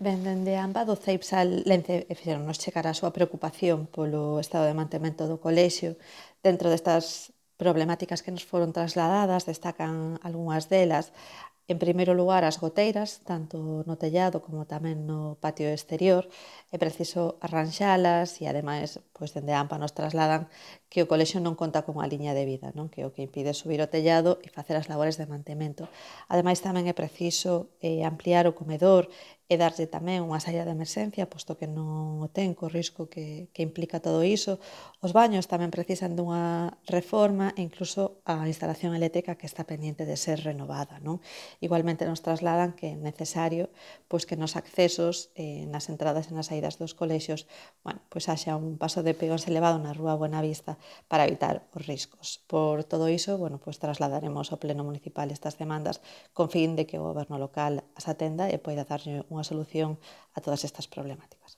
Ben, dende a AMPA do CEIPSAL Lence fixeronnos chegar a súa preocupación polo estado de mantemento do colexio. Dentro destas problemáticas que nos foron trasladadas, destacan algunhas delas. En primeiro lugar, as goteiras, tanto no tellado como tamén no patio exterior. É preciso arranxalas e, ademais, pois, dende a AMPA nos trasladan que o colexio non conta con unha liña de vida, non? Que é o que impide subir o tellado e facer as labores de mantemento. Ademais, tamén é preciso ampliar o comedor e darlle tamén unha saída de emerxencia, posto que non o ten, co risco que implica todo iso. Os baños tamén precisan dunha reforma e incluso a instalación eléctrica que está pendiente de ser renovada, non? Igualmente nos trasladan que é necesario pois, que nos accesos, nas entradas e nas saídas dos colexios, bueno, pois haxa un paso de peóns elevado na rúa Buenavista para evitar os riscos. Por todo iso, bueno, pois trasladaremos ao Pleno Municipal estas demandas con fin de que o Goberno local as atenda e poida darlle unha solución a todas estas problemáticas.